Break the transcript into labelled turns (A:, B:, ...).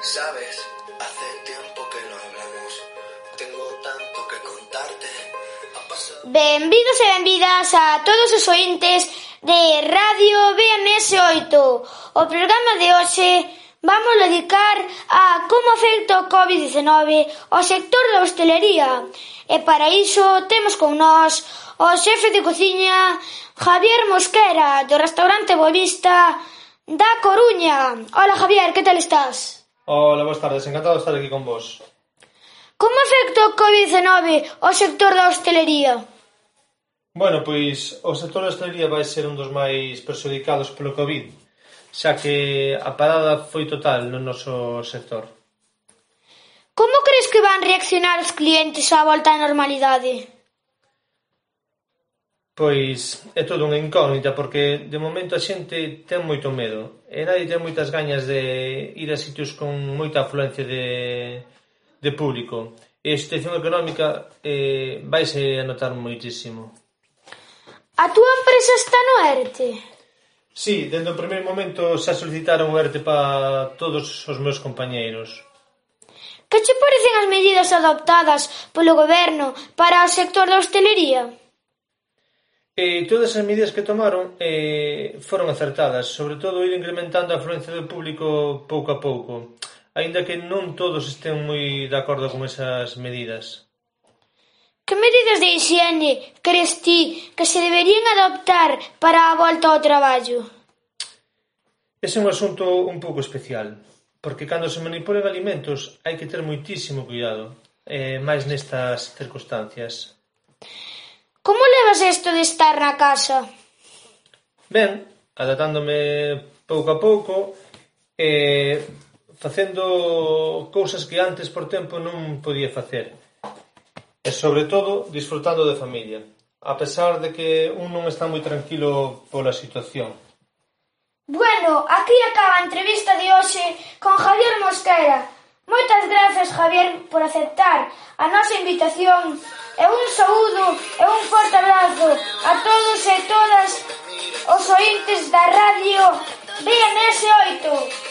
A: Sabes, hace tiempo que no hablamos. Tengo tanto que contarte.
B: Benvidos e benvidas a todos os ointes de Radio BMS8. O programa de hoxe vamos dedicar a como afecta o COVID-19 ao sector da hostelería. E para iso temos con nós o xefe de cociña Javier Mosquera, do restaurante Boavista da Coruña. Hola Javier, que tal estás?
C: Hola, boas tardes, encantado de estar aquí con vos.
B: Como afecta o COVID-19 ao sector da hostelería?
C: Bueno, pois o sector da hostelería vai ser un dos máis perxudicados polo COVID, xa que a parada foi total no noso sector.
B: Como crees que van reaccionar os clientes á volta á normalidade?
C: Pois é todo unha incógnita porque de momento a xente ten moito medo e nadie ten moitas gañas de ir a sitios con moita afluencia de público e a situación económica vaise a notar moitísimo.
B: A túa empresa está no ERTE?
C: Sí, dende o primeiro momento xa solicitaron o ERTE para todos os meus compañeiros.
B: Que che parecen as medidas adoptadas polo goberno para o sector da hostelería?
C: Todas as medidas que tomaron foron acertadas, sobre todo ir incrementando a afluencia do público pouco a pouco, aínda que non todos estén moi de acordo con esas medidas.
B: Que medidas de hixiene crees ti que se deberían adoptar para a volta ao traballo?
C: Ese é un asunto un pouco especial, porque cando se manipulan alimentos hai que ter moitísimo cuidado, máis nestas circunstancias.
B: Como levas isto de estar na casa?
C: Ben, adaptándome pouco a pouco e facendo cousas que antes por tempo non podía facer. E sobre todo disfrutando de familia, a pesar de que un non está moi tranquilo pola situación.
B: Bueno, aquí acaba a entrevista de hoxe con Javier Mosquera. Moitas grazas, Javier, por aceptar a nosa invitación e un saúdo e un forte abrazo a todos e todas os ointes da Radio BMS8.